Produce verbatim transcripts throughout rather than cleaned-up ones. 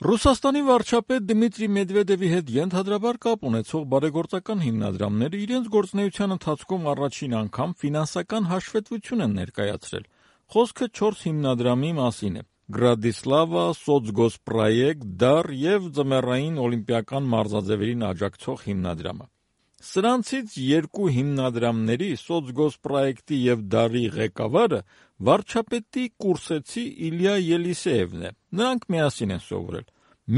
Ռուսաստանի վարչապետ Դմիտրի Մեդվեդևի հետ ենթադրաբար կապ ունեցող բարեգործական հիմնադրամները իրենց գործունեության ընթացքում առաջին անգամ ֆինանսական հաշվետվություն են ներկայացրել։ Խոսքը չորս հիմնադրամի մասին է՝ Գրադիսլավա, Սոցգոսպրոյեկտ, Դար և Ձմեռային օլիմպիական մարզաձևերին աջակցող հիմնադրամը։ Սրանցից երկու հիմնադրամների՝ Սոցգոսպրոյեկտի և Դարի ղեկավարը վարչապետի կուրսեցի Իլյա Ելիսեևն է։ Նրանք միասին են սովորել։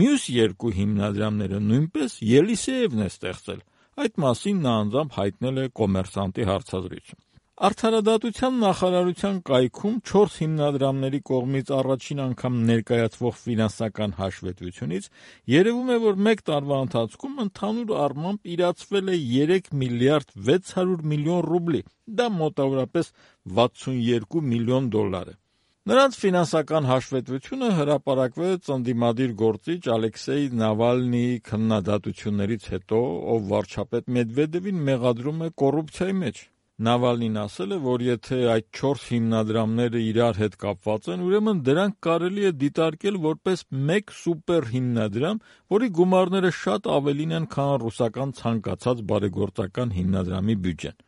Մյուս երկու հիմնադրամները նույնպես Ելիսեևն է ստեղծել։ Այդ մասին նա անձամբ հայտնել է «Կոմերսանտի» հարցազրույցում։ Արդարադատության նախարարության կայքում չորս հիմնադրամների կողմից առաջին անգամ ներկայացվող ֆինանսական հաշվետվությունից երևում է, որ մեկ տարվա ընթացքում ընդհանուր առմամբ իրացվել է երեք միլիարդ վեց հարյուր միլիոն ռուբլի, դա մոտավորապես վաթսունյոթ միլիոն դոլար է։ Նրանց ֆինանսական հաշվետվությունը հրապարակվեց ընդդիմադիր գործիչ Ալեքսեյ Նավալնիի քննադատություններից հետո, ով վարչապետ Մեդվեդևին մեղադրում է կոռուպցիայի մեջ։ Նավալնին ասել է, որ եթե այդ չորս հիմնադրամները իրար հետ կապված են, ուրեմն դրանք կարելի է դիտարկել որպես մեկ սուպեր հիմնադրամ, որի գումարները շատ ավելին են, քան ռուսական ցանկացած բարեգործական հիմնադրամի բյուջեն։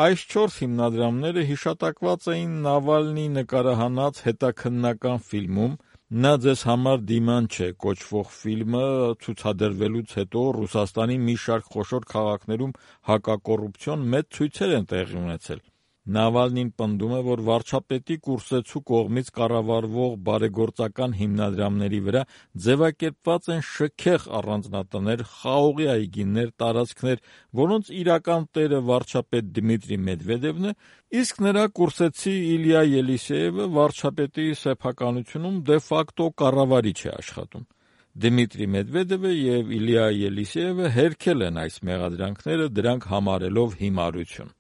Այս չորս հիմնադրամները հիշատակված էին Նավալնիի նկարահանած հետաքննական ֆիլմում «Նա ձեզ համար դիման չէ» կոչվող ֆիլմը ցուցադրվելուց հետո Ռուսաստանի մի շարք խոշոր քաղաքներում հակակոռուպցիոն մեծ ցույցեր են տեղի ունեցել։ Նավալնին պնդում է, որ վարչապետի կուրսեցու կողմից կառավարվող բարեգործական հիմնադրամների վրա ձևակերպված են շքեղ առանձնատներ, խաղողի այգիներ, տարածքներ, որոնց իրական տերը վարչապետ Դմիտրի Մեդվեդևն է, իսկ նրա կուրսեցի Իլյա Ելիսեևը վարչապետի սեփականությունում դե-ֆակտո կառավարիչ է աշխատում։ Դմիտրի Մեդվեդևը և Իլյա Ելիսեևը հերքել են այս մեղադրանքները, դրանք համարելով հիմարություն։